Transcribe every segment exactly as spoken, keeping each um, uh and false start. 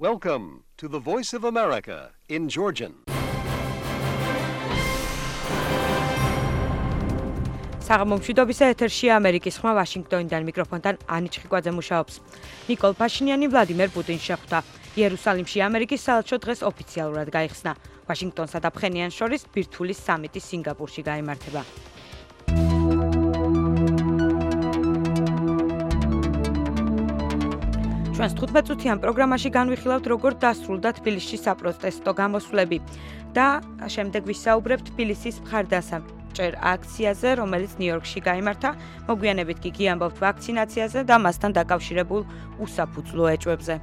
Welcome to the Voice of America in Georgian. საღამომშვიდობისა ეთერშია ამერიკის ხმა ვაშინგტონიდან მიკროფონთან ანი ჩხიკვაძე მუშაობს. ნიკოლ ფაშინიანი ვლადიმერ პუტინს შეხვდა. იერუსალიმში ამერიკის საელჩო დღეს ოფიციალურად გაიხსნა. ვაშინგტონსა და ფხენიანს შორის ბირთვული სამიტი სინგაპურში გაიმართება. ჩვენს თხუთმეტ-წუთიან პროგრამაში განვიხილავთ, როგორ დასრულდა თბილისში საპროტესტო გამოსვლები და შემდეგ ვისაუბრებთ თბილისის მხარდასაჭერ აქციაზე, რომელიც ნიუ-იორკში გაიმართა. მოგვიანებით კი გიამბობთ ვაქცინაციაზე და მასთან დაკავშირებულ უსაფუძვლო ეჭვებზე.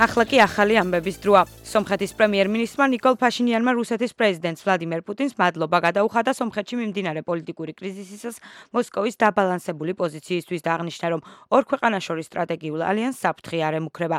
ახლა კი ახალი ამბების დროა. სომხეთის პრემიერ-მინისტრმა ნიკოლ ფაშინიანმა რუსეთის პრეზიდენტს ვლადიმერ პუტინს მადლობა გადაუხადა სომხეთში მიმდინარე პოლიტიკური კრიზისისას მოსკოვის დაბალანსებული პოზიციისთვის და აღნიშნა, რომ ორ ქვეყანას შორის სტრატეგიულ ალიანსს საფრთხე არ ემუქრება.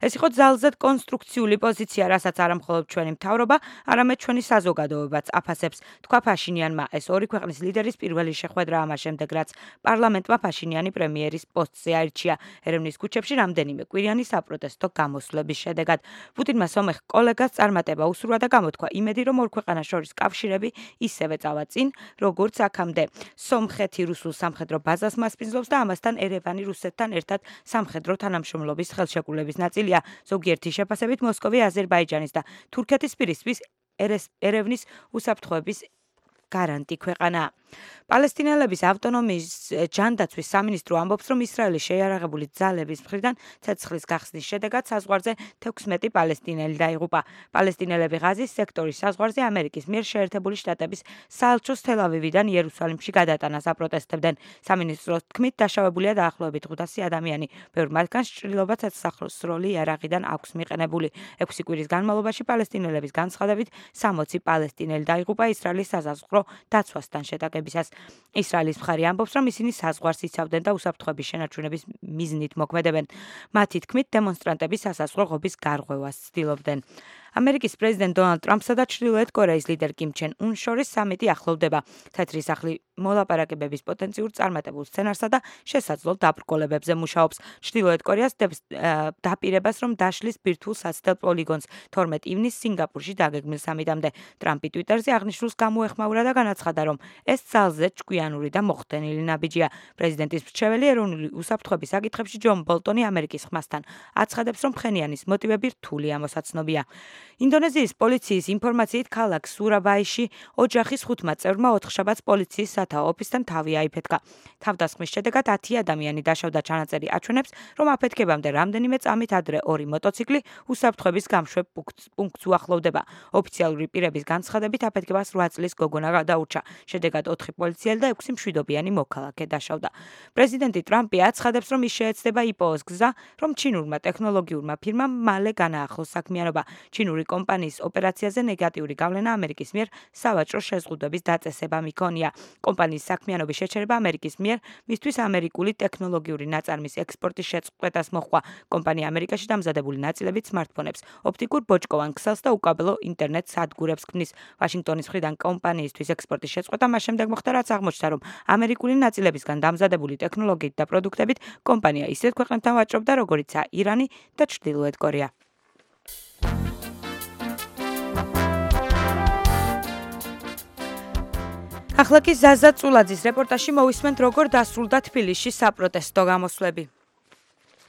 ეს იყო ძალზედ კონსტრუქციული პოზიცია, რასაც არა მხოლოდ ჩვენი მთავრობა, არამედ ჩვენი საზოგადოებაც აფასებს, თქვა ფაშინიანმა. ეს ორი ქვეყნის ლიდერის პირველი შეხვედრა ამას შემდეგ, რაც პარლამენტმა ფაშინიანი პრემიერის პოსტზე აირჩია. ერევნის ქუჩებში რამდენიმე კვირიანი საპროტესტო გამოსვლების შედეგად. პუტინმა სომეხ კოლეგას წარმატება უსურვა და გამოთქვა იმედი, რომ ორ ქვეყანას შორის კავშირები ისევე წავა წინ, როგორც აქამდე. სომხეთი რუსულ სამხედრო ბაზას მასპინძლობს და ამასთან ერევანი რუსეთთან ერთად სამხედრო თანამშრომლობის ხელშეკრულების ნაწილია. ზოგიერთი შეფასებით მოსკოვი აზერბაიჯანის და თურქეთის პირისთვის ერევნის უსაფრთხოების გარანტი ქვეყანაა. პალესტინელების ავტონომიის ჯანდაცვის სამინისტრო ამბობს, რომ ისრაელის შეიარაღებული ძალების მხრიდან ცეცხლის გახსნის შედეგად საზღვარზე თექვსმეტი პალესტინელი დაიღუპა. პალესტინელები ღაზის სექტორის საზღვარზე ამერიკის მიერ შეერთებული შტატების საელჩოს თელ-ავივიდან იერუსალიმში გადატანას აპროტესტებდნენ. სამინისტროს თქმით, დაშავებულია დაახლოებით ხუთასი ადამიანი. ბევრ მათგანს ჭრილობაც სახლოსროლი იარაღიდან აქვს მიყენებული. ექვსი კვირის განმავლობაში პალესტინელების განცხადებით სამოცი პალესტინელი დაიღუპა ისრაელის საზღვრო დაცვასთან შეტაკებისას. ისრაელის მხარი ამბობს, რომ ისინი საზღვარს იცავდნენ და უსაფრთხოების შენარჩუნების მიზნით მოქმედებენ. მათი თქმით, დემონსტრანტები სასაზღვრო ღობის გარღვევას ცდილობდნენ. ამერიკის პრეზიდენტ დონალდ ტრამპსა და ჩრდილოეთ კორეის ლიდერ კიმ ჩენ უნს შორის სამიტი ახლოვდება. თეთრი სახლი მოლაპარაკებების პოტენციურ წარმატებულ სცენარსა და შესაძლო დაბრკოლებებზე მუშაობს. ჩრდილოეთ კორეას დაპირებას, რომ დაშლის ბირთვულ საცდელ პოლიგონს თორმეტ ივნისს სინგაპურში დაგეგმილ სამიტამდე. ტრამპი ტვიტერზე აღნიშნულს გამოეხმაურა და განაცხადა, რომ ეს ძალზედ ჭკვიანური და მოხდენილი ნაბიჯია. პრეზიდენტის მრჩეველი ეროვნული უსაფრთხოების საკითხებში ჯონ ბოლტონი ამერიკის ხმასთან აცხადებს, რომ ფხენიანის მოტივები რთული ამოსაცნობია. ინდონეზიის პოლიციის ინფორმაციით ქალაქ სურაბაიში ოჯახის ხუთმა წევრმა ოთხშაბათს პოლიციის სათაო ოფისთან თავი აიფეთქა. თავდასხმის შედეგად ათი ადამიანი დაშავდა. ჩანაწერი აჩვენებს, რომ აფეთქებამდე რამდენიმე წამით ადრე ორი მოტოციკლი უსაფრთხოების გამშვებ პუნქტს უახლოვდება. ოფიციალური პირების განცხადებით აფეთქებას რვა წლის გოგონა გადაურჩა. შედეგად ოთხი პოლიციელი და ექვსი მშვიდობიანი მოქალაქე დაშავდა. პრეზიდენტი ტრამპი აცხადებს, რომ ის შეეცდება იპოოს გზა, რომ ჩინურმა ტექნოლოგიურმა ფირმამ მალე განაახლოს საქმიანობა. ჩინური კომპანიის ოპერაციაზე ნეგატიური გავლენა ამერიკის მიერ სავაჭრო შეზღუდვების დაწესება მიქონია. კომპანიის საქმიანობის შეჩერება ამერიკის მიერ მისთვის ამერიკული ტექნოლოგიური ნაწარმის ექსპორტის შეწყვეტას მოჰყვა. კომპანია ამერიკაში დამზადებული ნაწილებით სმარტფონებს, ოპტიკურ ბოჭკოვან ქსელს და უკაბელო ინტერნეტ სადგურებს ქმნის. ვაშინგტონის მხრიდან კომპანიისთვის ექსპორტის შეწყვეტა მას შემდეგ მოხდა, რაც აღმოჩნდა, რომ ამერიკული ნაწილებისგან დამზადებული ტექნოლოგიით და პროდუქტებით კომპანია ისეთ ქვეყნებთან ვაჭრობდა, როგორიცაა ირანი და ჩრდილოეთ კორეა. ახლა კი ზაზა წულაძის რეპორტაჟში მოვისმენთ, როგორ დასრულდა თბილისში საპროტესტო გამოსვლები.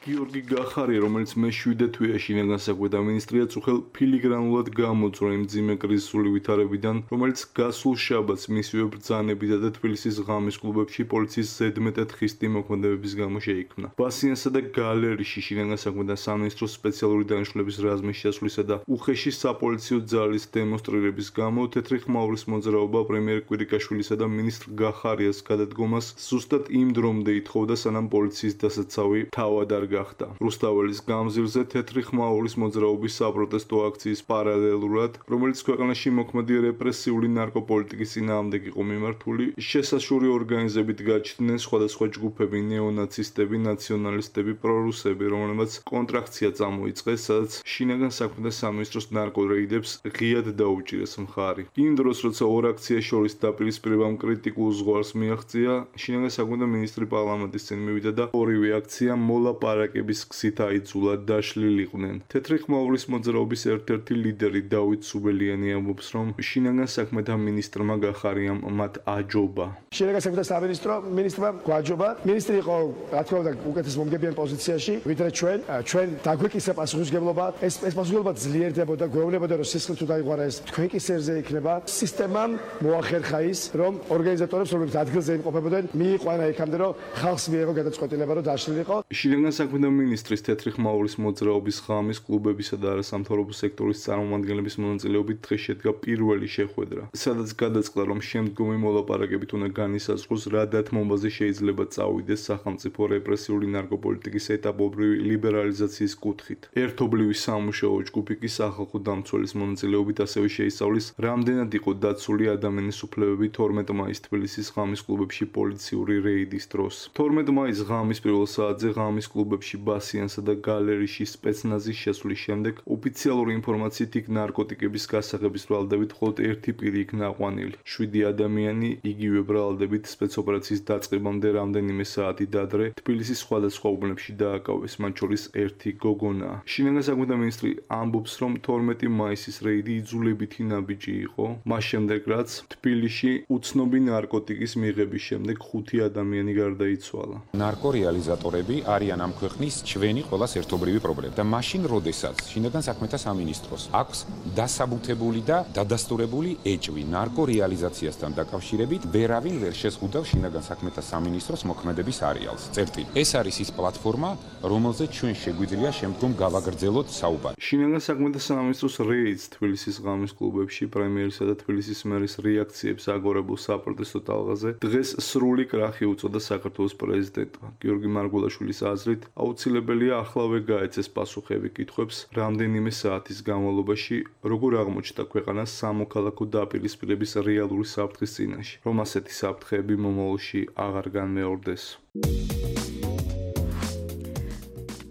გიორგი გახარია, რომელიც მეშვიდე თვეაში განსაკუთრებულ და მინისტრია წუხელ ფილიგრანულად გამოწვია იმ მძიმე კრიზისული ვითარებიდან, რომელიც გასულ შაბათს მისივე ბრძანებითა და თბილისის ღამის კლუბებში პოლიციის ზედმეტად ხისტი მოქმედებების გამო შეიქმნა. ბასიანსა და გალერიში განსაკუთრებულ და სამინისტროს სპეციალური დანიშნულების რაზმის შესვლისა და უხეში საპოლიციო ძალის დემონსტრირების გამო თეთრი ხმაურის მოძრაობა პრემიერ კვირიკაშვილისა და მინისტრ გახარიას გადადგომას ზუსტად იმ დრომდე ითხოვდა, სანამ პოლიციის დასაცავი თავად არ გახდა. რუსთაველის გამზირზე თეთრი ხმაურის მოძრაობის საპროტესტო აქციის პარალელურად, რომელიც ქვეყანაში მოქმედი რეპრესიული ნარკოპოლიტიკის წინააღმდეგ იყო მიმართული, შესაშური ორგანიზებით გაჩნდნენ სხვადასხვა ჯგუფები, ნეონაცისტები, ნაციონალისტები, პრორუსები, რომლებმაც კონტრაქცია წამოიწყეს, სადაც შინაგან საქმეთა სამინისტროს ნარკორეიდებს ღიად დაუჭირეს მხარი. იმ დროს, როცა ორ აქციას შორის დაპირისპირებამ კრიტიკულ ზღვარს მიაღწია, შინაგან საქმეთა მინისტრი პარლამენტის წინ მივიდა და ორივე აქცია მოლაპარაკების გზით აიძულა დაშლილიყვნენ. თეთრი ხმაურის მოძრაობის ერთ-ერთი ლიდერი დავით სუბელიანი ამბობს, რომ შინაგან საქმეთა მინისტრმა გახარია მათ აჯობა. შინაგან საქმეთა სამინისტრო მინისტრმა გვაჯობა. მინისტრი იყო, რა თქმა უნდა, უკეთეს მომგებიან პოზიციაში, ვიდრე ჩვენ, ჩვენ დაგვეკისა პასუხისმგებლობა. ეს ეს პასუხისმგებლობა ძლიერდებოდა, გვეუბნებოდა, რომ სისხლით თუ დაიღვარა ეს თქვენ კისერზე იქნება. სისტემამ მოახერხა ის, რომ ორგანიზატორებს, რომლებიც ადგილზე იმყოფებოდნენ, მიიყვანა იქამდე, რომ ხალხს მიეღო გადაწყვეტილება, რომ დაშლილიყო. შინაგან საქმეთა მინისტრის თეთრი ხმაურის მოძრაობის ღამის კლუბებისა და არასამთავრობო სექტორის წარმომადგენლების მონაწილეობით დღეს შედგა პირველი შეხვედრა, სადაც გადაწყდა, რომ შემდგომი მოლაპარაკებით უნდა განისაზღვროს, რა დათმობაზე შეიძლება წავიდეს სახელმწიფო რეპრესიული ნარკოპოლიტიკის ეტაპობრივი ლიბერალიზაციის კუთხით. ერთობლივი სამუშაო ჯგუფი კი სახალხო დამცველის მონაწილეობით ასევე შეისწავლის, რამდენად იყო დაცული ადამიანის უფლებები თორმეტ მაისს თბილისის ღამის კლუბებში პოლიციური რეიდის დროს. თორმეტ მაისს ღამის პირველ საათზე ღამის კლუბებში ბასიანსა და გალერიში სპეცნაზის შესვლის შემდეგ ოფიციალური ინფორმაციით იქ ნარკოტიკების გასაღების ბრალდებით მხოლოდ ერთი პირი იქნა აყვანილი. შვიდი ადამიანი იგივე ბრალდებით სპეცოპერაციის დაწყებამდე რამდენიმე საათი ადრე თბილისის სხვადასხვა უბნებში დააკავეს, მათ შორის ერთი გოგონაა. შინაგან საქმეთა მინისტრი ამბობს, რომ თორმეტი მაისის რეიდი იძულებითი ნაბიჯი იყო, მას შემდეგ რაც თბილისში უცნობი ნარკოტიკის მიღების შემდეგ ხუთი ადამიანი გარდაიცვალა. ნარკორეალიზატორები არიან ამ ქვეყნის ჩვენი ყველას ერთობლივი პრობლემა და მაშინ, როდესაც შინაგან საქმეთა სამინისტროს აქვს დასაბუთებული და დადასტურებული ეჭვი ნარკორეალიზაციასთან დაკავშირებით, ვერავინ ვერ შეზღუდავს შინაგან საქმეთა სამინისტროს მოქმედების არეალს. წერტილი. ეს არის ის პლატფორმა, რომელზეც ჩვენ შეგვიძლია შემდგომ გავაგრძელოთ საუბარი. შინაგან საქმეთა სამინისტროს რეიდს თბილისის ღამის კლუბებში პრემიერისა და თბილისის მერის რეაქციებს აგორებულ საპროტესტო ტალღაზე დღეს სრული კრახი უწოდა საქართველოს პრეზიდენტმა. გიორგი მარგველაშვილის აზრით, აუცილებელია ახლავე გაეცეს პასუხები კითხვებს, რამდენიმე საათის განმავლობაში როგორ აღმოჩნდა ქვეყანა სამოქალაქო დაპირისპირების რეალური საფრთხის წინაშე, რომ ასეთი საფრთხეები მომავალში აღარ განმეორდეს.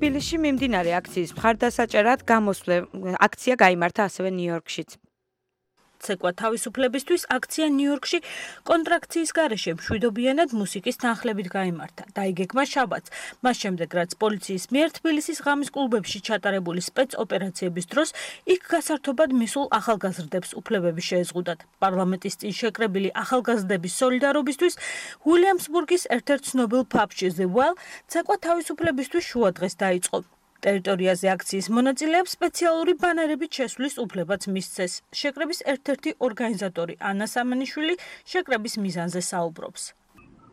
თბილისში მიმდინარე აქციის მხარდასაჭერად გამოსვლე აქცია გაიმართა ასევე ნიუ-იორკშიც. ცეკვა თავისუფლებისთვის აქცია ნიუ-იორკში კონტრაქციის გარეშე მშვიდობიანად მუსიკის თანხლებით გაიმართა. დაიგეგმა შაბათს, მას შემდეგ რაც პოლიციის მიერ თბილისის ღამის კლუბებში ჩატარებული სპეცოპერაციების დროს იქ გასართობად მისულ ახალგაზრდებს უფლებები შეეზღუდათ. პარლამენტის წინ შეკრებილი ახალგაზრდების სოლიდარობისთვის უილიამსბურგის ერთ-ერთ ცნობილ ფაბში The Well ცეკვა თავისუფლებისთვის შუადღეს დაიწყო. ტერიტორიაზე აქციის მონაწილეებს სპეციალური ბანერებით შესვლის უფლებაც მისცეს. შეკრების ერთ-ერთი ორგანიზატორი ანა სამანიშვილი შეკრების მიზანზე საუბრობს.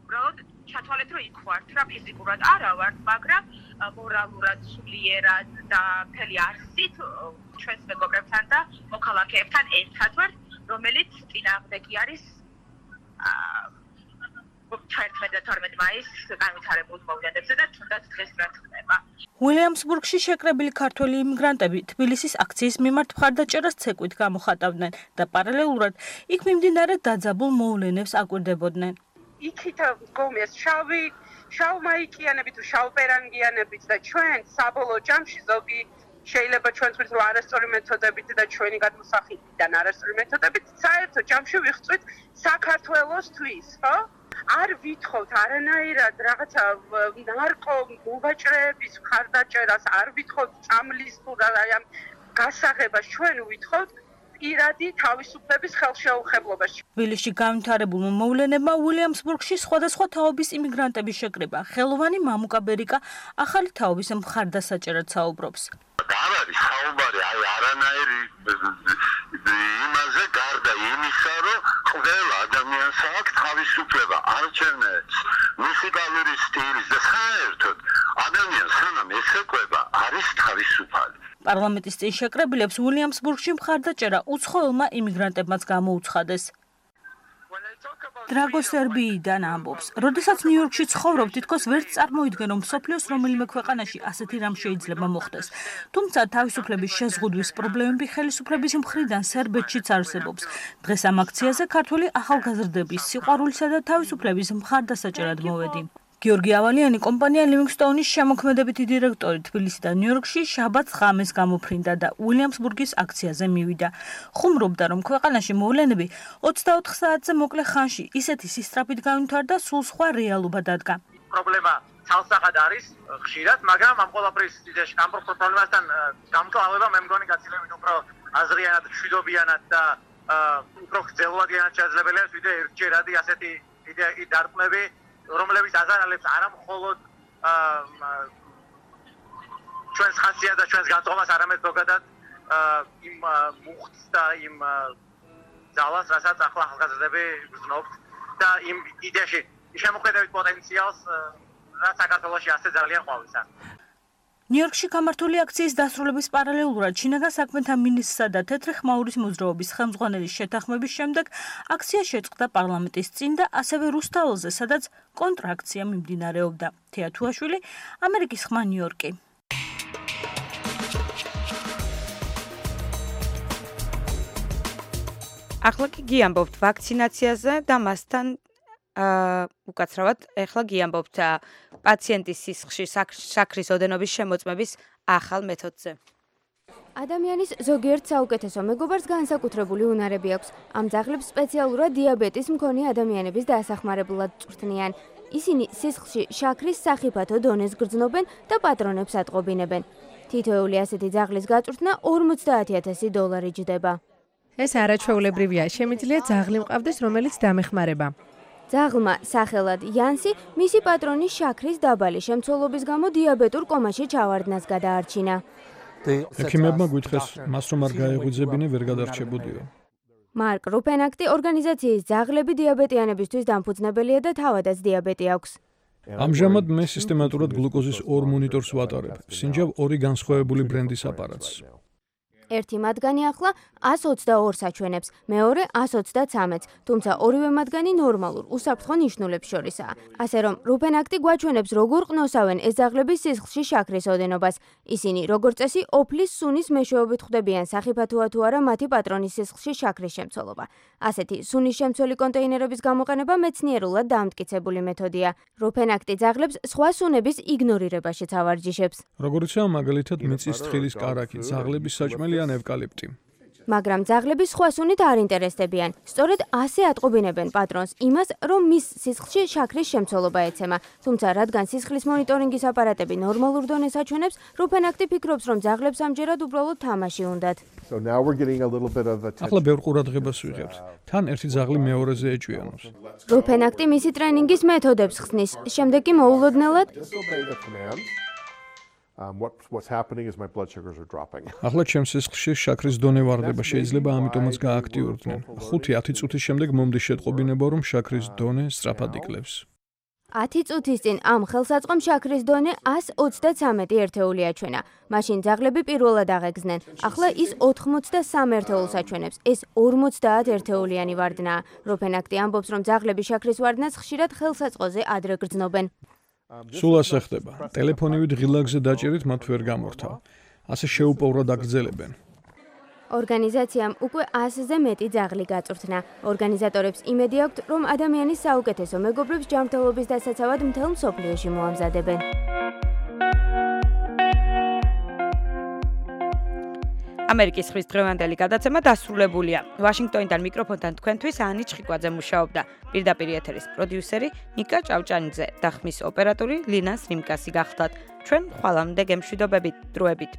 უბრალოდ ჩათვალეთ, რომ იქ ვართ რა, ფიზიკურად არა ვართ, მაგრამ მორალურად, სულიერად და მთელი არსით ჩვენს მეგობრებთან და მოქალაქეებთან ერთად ვართ, რომელიც წინააღმდეგი არის თერთმეტ და თორმეტ მაისს განვითარებულ მოვლენებზე და თუნდაც დღეს რა ხდება. უილიამსბურგში შეკრებილი ქართველი იმიგრანტები თბილისის აქციის მიმართ მხარდაჭერას ცეკვით გამოხატავდნენ და პარალელურად იქ მიმდინარე დაძაბულ მოვლენებს აკვირდებოდნენ. იქით გომეს შავი, შავმაიკიანებით, შავპერანგიანებით და ჩვენ საბოლოო ჯამში ზოგი შეიძლება ჩვენს ვიძრო არასწორი მეთოდებით და ჩვენი გადმოსახიდან არასწორი მეთოდებით საერთო ჯამში ვიხწვით საქართველოსთვის, ხო? არ ვითხოვთ არანაირად რაღაცა ნარკო მოვაჭრეების მხარდაჭერას, არ ვითხოვთ წამლის თუ რა გასაღებას, ჩვენ ვითხოვთ პირადი თავისუფლების ხელშეუხებლობაში. თბილისში განვითარებულმა მოვლენებმა უილიამსბურგში სხვადასხვა თაობის იმიგრანტების შეკრება. ხელოვანი მამუკა ბერიკა ახალი თაობის მხარდასაჭერად საუბრობს. არ არის საუბარი აი არანაირი იმაზე გარდა იმისა, რომ ყველა ადამიანს აქვს თავისუფლება არჩევნებს, მუსიკალური სტილის და საერთოდ ადამიანს სანამ ესეკვება არის თავისუფალი. პარლამენტის წინ შეკრებილებს უილიამსბურგში მხარდაჭერა უცხოელმა იმიგრანტებმაც გამოუცხადეს. When I talk about დრაგო სერბიიდან ამბობს. როდესაც ნიუ-იორკში ცხოვრობ, თითქოს ვერც წარმოიდგენ, რომ მსოფლიოს რომელიმე ქვეყანაში ასეთი რამ შეიძლება მოხდეს. თუმცა თავისუფლების შეზღუდვის პრობლემები ხელისუფლების მხრიდან სერბეთშიც არსებობს. დღეს ამ აქციაზე ქართველი ახალგაზრდების სიყვარულისა და თავისუფლების მხარდასაჭერად მოვედი. გიორგი ავალიანი კომპანია ლივინგსტოუნის შემოქმედებითი დირექტორი თბილისში და ნიუ-იორკში შაბათს ღამეს გამოფრინდა და უილიამსბურგის აქციაზე მივიდა. ხუმრობდა, რომ ქვეყანაში მოვლენები ოცდაოთხ საათზე მოკლე ხანში ისეთი სისწრაფით განვითარდა, სულ სხვა რეალობა დადგა. პრობლემა ცალსახად არის ხშირად, მაგრამ ამ ყველაფრის ამ პრობლემასთან გამკლავება მე მგონი გაცილებით უფრო აზრიანად, მშვიდობიანად და უფრო გრძელვადიანად შესაძლებელია, ვიდრე ერთჯერადი ასეთი დარტყმები, რომლებიც აზარალებს არა მხოლოდ ჩვენს ხასიათს და ჩვენს განწყობას, არამედ ზოგადად იმ მუხტს და იმ ძალას, რასაც ახლა ახალგაზრდები გრძნობთ და იმ იდეაში შემოქმედებით პოტენციალს, რაც საქართველოში ასე ძალიან ყვავისა. ნიუ-იორკში გამართული აქციის დასრულების პარალელურად შინაგან საქმეთა მინისტრსა და თეთრი ხმაურის მოძრაობის ხელმძღვანელის შეთანხმების შემდეგ აქცია შეწყდა პარლამენტის წინ და ასევე რუსთაველზე, სადაც კონტრაქცია მიმდინარეობდა. თეა თუაშვილი, ამერიკის ხმა, ნიუ-იორკი. ახლა კი გიამბობთ ვაქცინაციაზე და მასთან უკაცრავად ეხლა გიამბობთ პაციენტის სისხლში შაქრის ოდენობის შემოწმების ახალ მეთოდზე. ადამიანის ზოგიერთ საუკეთესო მეგობარს განსაკუთრებული უნარები აქვს. ამ ძაღლებს სპეციალურად დიაბეტის მქონე ადამიანების დასახმარებლად წვრთნიან. ისინი სისხლში შაქრის სახიფათო დონეს გრძნობენ და პატრონებს ატყობინებენ. თითოეული ასეთი ძაღლის გაწვრთნა ორმოცდაათი ათასი დოლარი ჯდება. ეს არაჩვეულებრივია. შემიძლია ძაღლი მყავდეს, რომელიც დამეხმარება. ძაღლმა სახელად იანსი მისი პატრონის შაქრის დაბალი შემცველობის გამო დიაბეტურ კომაში ჩავარდნას გადაარჩინა. ექიმებმა გვითხრეს, მას რომ არ გაეღვიძებინე, ვერ გადარჩებოდიო. მარკ რუფენაქტი ორგანიზაციის ძაღლები დიაბეტიანებისთვის დამფუძნებელია და თავადაც დიაბეტი აქვს. ამჟამად მე სისტემატურად გლუკოზის ორ მონიტორს ვატარებ. სინჯავ ორი განსხვავებული ბრენდის აპარატს. ერთი მათგანი ახლა ას ოცდაორ საჩვენებს, მეორე ას ოცდაცამეტს, თუმცა ორივე მათგანი ნორმალურ, უსაფრთხო ნიშნულებს შორისაა. ასე რომ, რუფენაქტი გვაჩვენებს, როგორ ყნოსავენ ეს ძაღლები სისხლში შაქრის ოდენობას. ისინი, როგორც წესი, ოფლის სუნის მეშვეობით ხვდებიან სახიფათოა თუ არა მათი პატრონის სისხლში შაქრის შემცველობა. ასეთი სუნის შემცველი კონტეინერების გამოყენება მეცნიერულად დამტკიცებული მეთოდია. რუფენაქტი ძაღლებს სხვა სუნების იგნორირებაშიც ავარჯიშებს. როგორიცაა მაგალითად მიწის თხილის კარაქი, ძაღლების საჭმელი ან ევკალიპტი. მაგრამ ძაღლები სხვა სუნით არ ინტერესდებიან. სწორედ ასე ატყობინებენ პატრონს იმას, რომ მის სისხლში შაქრის შემცველობა ეცემა. თუმცა რადგან სისხლის მონიტორინგის აპარატები ნორმალურ დონეს აჩვენებს, რუფენაქტი ფიქრობს, რომ ძაღლებს ამჯერად უბრალოდ თამაში უნდათ. ახლა ბევრ ყურადღებას ვიღებთ. თან ერთი ძაღლი მეორეზე ეჭვიანობს. რუფენაქტი მისი ტრენინგის მეთოდებს ხსნის. შემდეგ კი მოულოდნელად Um, what, what's happening is my blood sugars are dropping. ახლა ჩემს სისხლში შაქრის დონე ვარდება, შეიძლება ამიტომაც გააქტიურდნენ. ხუთი ათი წუთის შემდეგ მომდის შეტყობინება, რომ შაქრის დონე სწრაფად იკლებს. ათი წუთის წინ ამ ხელსაწყომ შაქრის დონე ას ოცდაცამეტი ერთეული აჩვენა. მაშინ ძაღლები პირველად აღეგზნენ. ახლა ის ოთხმოცდასამ ერთეულს აჩვენებს. ეს ორმოცდაათ ერთეულიანი ვარდნაა. როფენაქტი ამბობს, რომ ძაღლები შაქრის ვარდნას ხშირად ხელსაწყოზე ადრე გრძნობენ. სულ ასე ხდება. ტელეფონივით ღილაკზე დაჭერით მათ ვერ გამორთავ. ასე შეუპოვრად აგრძელებენ. ორგანიზაციამ უკვე ასზე მეტი ძაღლი გაწვრთნა. ორგანიზატორებს იმედი აქვთ, რომ ადამიანის საუკეთესო მეგობრებს ჯანმრთელობის დასაცავად მთელ მსოფლიოში მოამზადებენ. ამერიკის ხმის დღევანდელი გადაცემა დასრულებულია. ვაშინგტონიდან მიკროფონთან თქვენთვის ანი ჩხიკვაძე მუშაობდა. პირდაპირ ეთერის პროდიუსერი ნიკა ჭავჭანიძე და ხმის ოპერატორი ლინა სრიმკასი გახლდათ. ჩვენ ხვალამდე გემშვიდობებით, დროებით.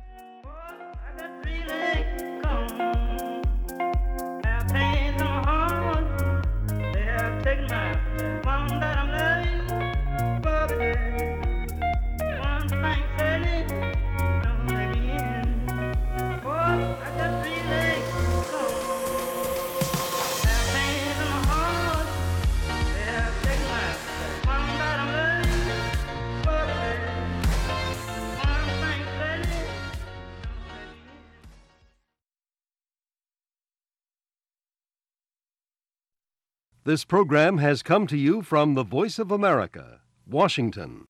This program has come to you from the Voice of America, Washington.